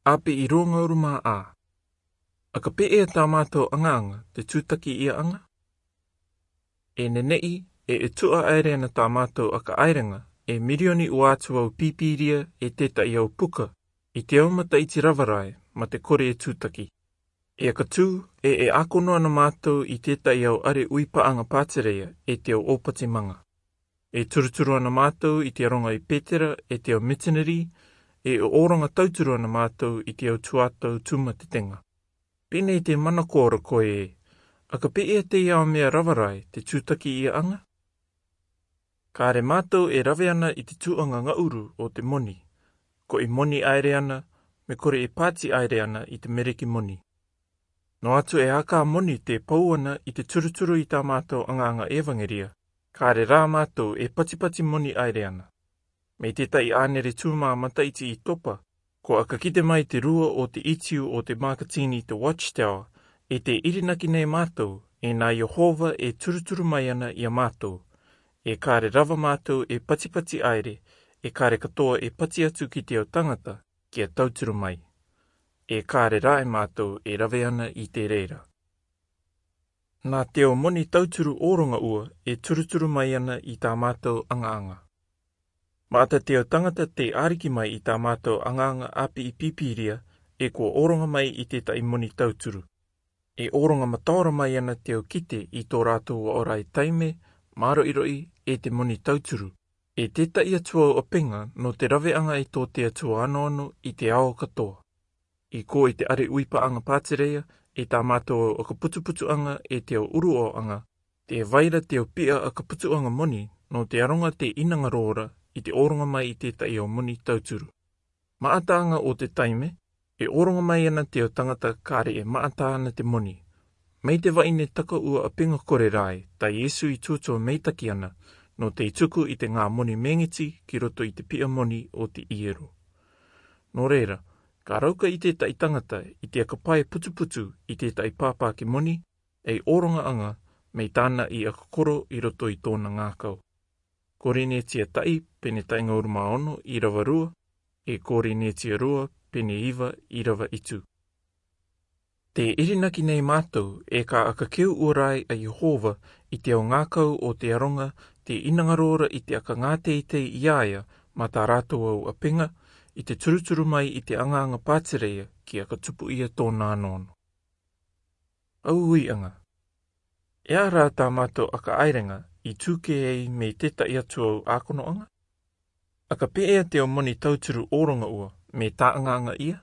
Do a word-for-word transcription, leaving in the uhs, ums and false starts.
Api'i ruangauru mā A. ʻAka pē ʻe tā mātou ʻangaʻanga te tūtaki ia ʻanga? E neneʻi, e ʻe tuʻa ʻaere ana tā mātou ʻaka ʻairenga, e mirioni ʻua atu au pīpīria e tētaʻi au puka, i te au mataʻiti rava rae, mā te kore e tūtaki. E ʻaka tū, e ʻe ʻākono ana mātou i tētaʻi au ʻare ʻui paʻanga pātereia, e te au ʻōpati manga. E turuturu ana mātou i te aronga i Petera, e te au mitinari, e ʻōranga tauturu ana mātou i te au tuatau tūmatetenga. Pēnei te mana kōrako ē, ʻaka pē ʻe te ia mea rava rae te tūtaki ia ʻanga? Kāre mātou e rave ana i te tūʻanga ngaʻuru o te moni. Ko i moni ʻaere ana, me kore e pāti ʻaere ana i te mereki moni. Nō atu e ʻaka moni te pou ana i te turuturu i tā mātou ʻangaʻanga evangeria, kāre rā mātou e patipati moni ʻaere ana. Mei tētaʻi ʻānere tūmā mataʻiti i topa, ko ʻaka kite mai te rua o te itiu o te makatini te Watchtower, e te irinaki nei mātou, e nā Iehova e turuturu mai ana ia mātou. E kāre rava mātou e patipati ʻaere, e kāre katoa e pati atu ki te au tangata, kia tauturu mai. E kāre rā e mātou e rave ana i te reira. Nā te au moni tauturu ʻōranga ua e turuturu mai ana i tā mātou ʻangaʻanga. Maʻata te au tangata te ariki mai i tā mātou ʻangaʻanga apiʻi pīpīria, e kua ʻōranga mai i tētaʻi moni tauturu. E ʻōranga mataora mai ana te au kite i tō rātou ʻaorai taime, māroʻiroʻi, e te moni tauturu. E tētaʻi atu au ʻapenga nō te raveʻanga e tō te Atua anoano i te ao katoa. I kō i te ʻare ʻui paʻanga pātereia, e tā mātou au ʻaka putuputuʻanga e te au ʻuruʻaoʻanga, te vaira te au piʻa ʻaka putuʻanga moni, nō te aronga te inanga rōra i te ʻōranga mai i tētaʻi au moni tauturu. Maʻataʻanga o te taime, e ʻōranga mai ana te au tangata kāre e maʻata ana te moni. Mei te vaʻine taka ua ʻapenga kore rae, tā Iesu i tūtō meitaki ana, nō te tuku i te ngā moni mengiti ki roto i te piʻa moni o te iero. Nō reira, ka rauka i tētaʻi tangata i te ʻaka pae putuputu i tētaʻi pāpāki moni, e ʻōranga anga, mei tāna i ʻaka koro i roto i tōna ngākau. Korinetia taʻi, pene taʻi ngauru mā ono, irava rua, e Korinetia rua, pene iva, irava itu. Te irinaki nei mātou, e ka ʻaka keu ua rae a Iehova, i te au ngākau o te aronga, te inanga rōra i te ʻaka ngā teitei i a ia, mā tā rātou au ʻapenga, i te turuturu mai i te ʻangaʻanga pātereia, ki ʻaka tupu ia tōna anoano. Au uiʻanga. E aha rā tā mātou ʻaka ʻairenga, i tūkē ai mei tētaʻi atu au ʻākonoʻanga? ʻAka pē ʻe te au moni tauturu ʻōranga ua, mei tāʻangaʻanga ia?